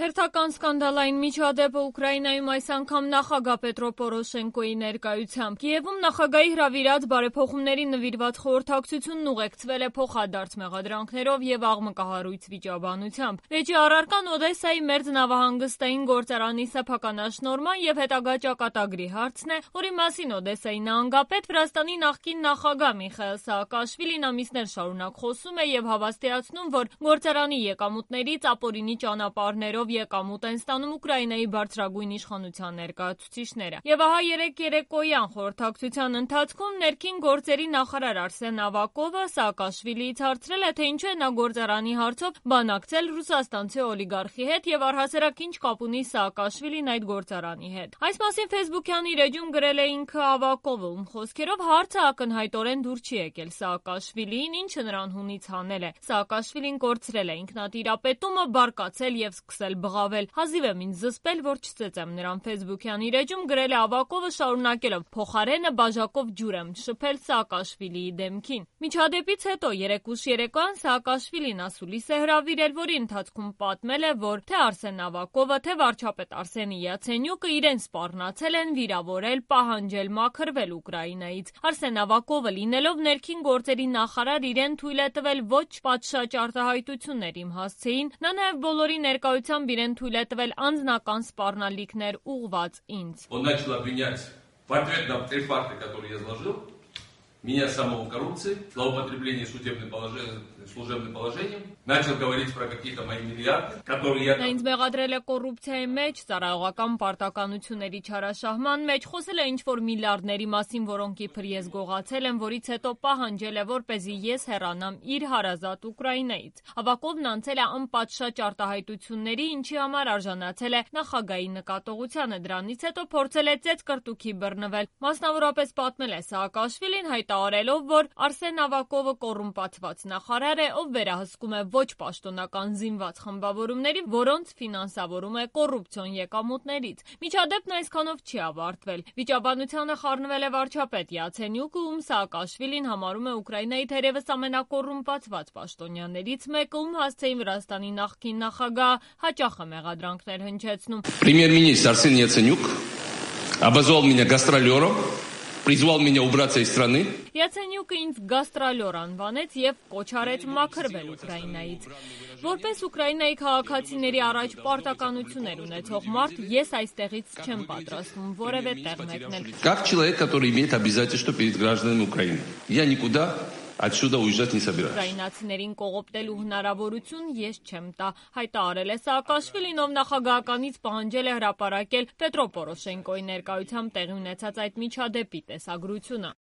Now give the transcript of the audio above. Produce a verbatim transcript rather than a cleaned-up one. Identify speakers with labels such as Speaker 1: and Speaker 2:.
Speaker 1: Հերթական սկանդալային միջադեպը Ուկրաինայում այս անգամ նախագահ Պետրո Պորոշենկոյի ներկայությամբ։ Կիևում նախագահի հրավիրած բարեփոխումների նվիրված խորհրդակցությունն ուղեկցվել է փոխադարձ մեղադրանքներով եւ աղմկահարույց վիճաբանությամբ։ Վեճի առարկան Օդեսայի մերձնավահանգստային գործարանի սեփականաշնորհման եւ հետագա ճակատագրի հարցն է, որի մասին Օդեսայի նահանգապետ Վրաստանի նախկին նախագահ Միխայիլ Սաակաշվիլին ամիսներ շարունակ խոսում է եւ հավաստիացնում, որ գործարանի եկամուտներից ապօրինի ճանապարհներով եկամուտ են ստանում Ուկրաինայի բարձրագույն իշխանության ներկայացուցիչները։ Եվ ահա երեկ երեկոյան խորհրդակցության ընթացքում ներքին գործերի նախարար Արսեն Ավակովը Սաակաշվիլիից հարցրել է, թե ինչու է նա գործարանի հարցով բանակցել ռուսաստանցի օլիգարխի հետ եւ առհասարակ ինչ կապ ունի Սաակաշվիլին այդ գործարանի հետ։ Այս մասին Facebook-յան իր էջում գրել է ինքը Ավակովը, ում խոսքերով հարցը ակնհայտորեն դուր չի եկել Սաակաշվիլիին, ինչը նրան հունից հանել է։ Սաակաշվիլին կորցրել է ինքնատիրապետումը, բարկացել եւ սկսել բղավել։ Հազիվ եմ ինձ զսպել, որ չծեծեմ նրան Facebook-յան իր էջում գրել է Ավակովը, շարունակելով. փոխարենը բաժակով ջուր եմ շփել Սաակաշվիլիի դեմքին։ Միջադեպից հետո երեկ ուշ երեկոյան Սաակաշվիլին ասուլիս է հրավիրել, որի ընթացքում պատմել է, որ թե Արսեն Ավակովը, թե վարչապետ Արսենի Յացենյուկը իրեն սպառնացել են վիրավորել, պահանջել մաքրվել Ուկրաինայից։ Արսեն Ավակովը լինելով ներքին գործերի նախարար իրեն թույլ է տվել ոչ պատշաճ արտահայտություններ իմ հասցեին, նա նաև բոլորի ներկայությամբ իրեն թույլ է տվել անձնական սպառնալիքներ ուղղված ինձ։
Speaker 2: Он начал обвинять в ответ на три факта, которые я изложил, меня самого в коррупции, злоупотребление судебным положением, служебным положением, начал говорить про какие-то мои миллиарды, которые я...
Speaker 1: Նա ինձ մեղադրել է կոռուպցիայի մեջ, ծառայողական պարտականությունների չարաշահման մեջ, խոսել է ինչ-որ միլիարդների մասին, որոնք իբր ես գողացել եմ, որից հետո պահանջել է, որպեսզի ես հեռանամ իր հարազատ Ուկրաինայից։ Ավակովն անցել է անպատշաճ արտահայտությունների, ինչի համար արժանացել է նախագահի նկատողությանը, դրանից հետո փորձել է ծեծկրտուքի բռնվել։ Մասնավորապես պատմել է Սաակաշվիլին, հայտարարելով, որ Արսեն Ավակովը կոռումպացված նախարար է, ով վերահսկում է ոչ պաշտոնական զինված խմբավորումների, որոնց ֆինանսավորում է կոռուպցիոն եկամուտներից։ Միջադեպն այսքանով չի ավարտվել։ Վիճաբանությանը խառնվել է վարչապետ Յացենյուկը, ում Սաակաշվիլին համարում է Ուկրաինայի թերևս ամենակոռումպացված պաշտոնյաներից մեկը, ում հասցեին Վրաստանի նախկին նախագահ հաճախ է մեղադրանքներ հնչեցնում։
Speaker 2: Премьер-министр Арсен Яценюк обозвал меня гастролером, призвал меня убраться из страны.
Speaker 1: Յացենյուկը ինձ գաստրոլյոր անվանեց եւ կոչ արեց մաքրվել Ուկրաինայից։ Որպես Ուկրաինայի քաղաքացիների առաջ պարտականություններ ունեցող մարդ, ես այստեղից չեմ պատրաստվում որևէ տեղ մեկնել։
Speaker 2: Как человек, который имеет обязательства перед гражданами Украины. Я никуда отсюда уезжать не собираюсь.
Speaker 1: Ուկրաինացիներին կողոպտելու հնարավորություն ես չեմ տա, հայտարարել է Սաակաշվիլին, ով նախագահականից պահանջել է հրապարակել Պետրո Պորոշենկոյի ներկայությամբ տեղի ունեցած այդ միջադեպի տեսագրությունը։